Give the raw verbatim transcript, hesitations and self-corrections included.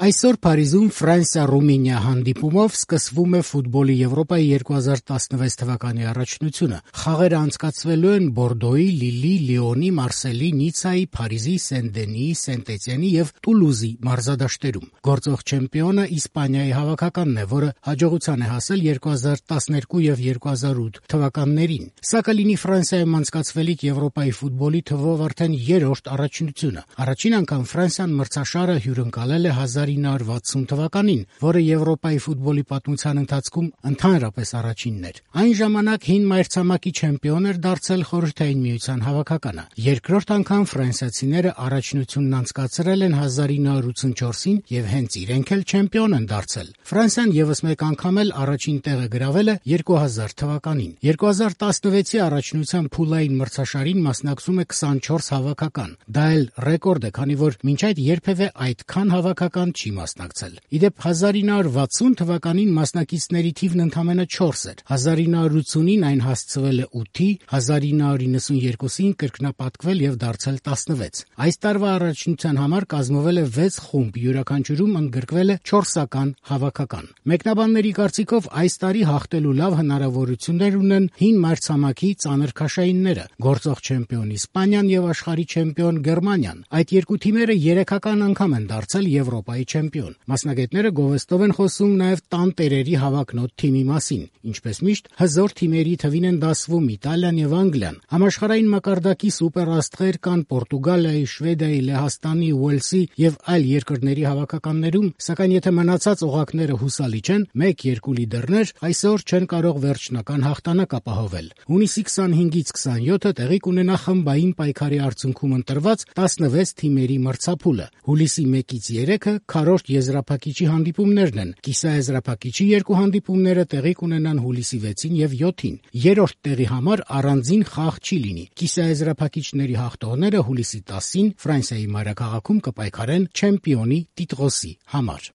Այսօր Փարիզում Ֆրանսիա-Ռումինիա հանդիպումով սկսվում է ֆուտբոլի Եվրոպայի երկու հազար տասնվեց թվականի առաջնությունը։ Խաղերը անցկացվելու են Բորդոյի, Լիլի, Լիոնի, Մարսելի, Նիցայի, Փարիզի, Սեն-Դենիի, Սենտ-Էտիենի եւ Տուլուզի մարզադաշտերում։ Գործող չեմպիոնը Իսպանիայի հավաքականն է, որը հաջողության է հասել երկու հազար տասներկու եւ երկու հազար ութ թվականներին։ Սա կլինի Ֆրանսիայում անցկացվելիք Եվրոպայի ֆուտբոլի թվով արդեն երրորդ առաջնությունը։ Առաջին անգամ Ֆրանսիան մրցաշարը հյուրընկալել է հազար ինը հարյուր վաթսուն թվականին, որը Եվրոպայի ֆուտբոլի պատմության ընթացքում ընդհանրապես առաջինն էր։ Այն ժամանակ հին մայրցամաքի չեմպիոն էր դարձել Խորհրդային Միության հավաքականը։ Երկրորդ անգամ ֆրանսիացիները առաջնությունն անցկացրել են հազար ինը հարյուր ութսունչորսին եւ հենց իրենք էլ չեմպիոն են դարձել։ Ֆրանսիան եւս մեկ անգամ էլ առաջին տեղը գրավել է երկու հազար թվականին։ երկու հազար տասնվեցի առաջնության փուլային մրցաշարին մասնակցում է քսանչորս հավաքական։ Դա էլ ռեկորդ է, քանի որ մինչ այդ երբևէ այդքան հավաքական չի մասնակցել։ Իդեպ հազար ինը հարյուր վաթսուն թվականին մասնակիցների թիվն ընդամենը չորս էր։ հազար ինը հարյուր ութսունին այն հասցվել է ութի, հազար ինը հարյուր նվսյոթերկուսին կրկնապատկվել եւ դարձել տասնվեց։ Այս տարվա առաջնության համար կազմվել է վեց խումբ, յուրաքանչյուրում ընդգրկվել է չորսական հավաքական։ Մեկնաբանների կարծիքով այս տարի հաղթելու լավ հնարավորություններ ունեն հին մայրցամաքի ծանր քաշայինները՝ գործող չեմպիոն Իսպանիան եւ աշխարհի չեմպիոն Գերմանիան։ Այդ երկու թիմերը երեքական անգամ են դարձել Եվրոպայի չեմպիոն։ Մասնագետները գովեստով են խոսում նաև տանտերերի հավակնոտ թիմի մասին։ Ինչպես միշտ, հզոր թիմերի թվին են դասվում Իտալիան եւ Անգլիան։ Համաշխարհային մակարդակի սուպերաստղեր կան Պորտուգալիայի, Շվեդիայի, Լեհաստանի, Ուելսի եւ այլ երկրների հավաքականներում, սակայն եթե մնացած օղակները հուսալի չեն, մեկ-երկու լիդերներ այսօր չեն կարող վերջնական հաղթանակ ապահովել։ Հունիսի քսանհինգից քսանյոթը տեղի կունենա խմբային պայքարի արդյունքում ընտրված տասնվեց թիմերի մրցափուլը։ Հուլիսի մեկից երեքը քառորդ եզրափակիչի հանդիպումներն են։ Կիսաեզրափակիչի երկու հանդիպումները տեղի կունենան հուլիսի վեցին եւ յոթին։ Երրորդ տեղի համար առանձին խաղ չի լինի։ Կիսաեզրափակիչների հաղթողները հուլիսի տասին Ֆրանսիայի մայրաքաղաքում կպայքարեն չեմպիոնի տիտղոսի համար։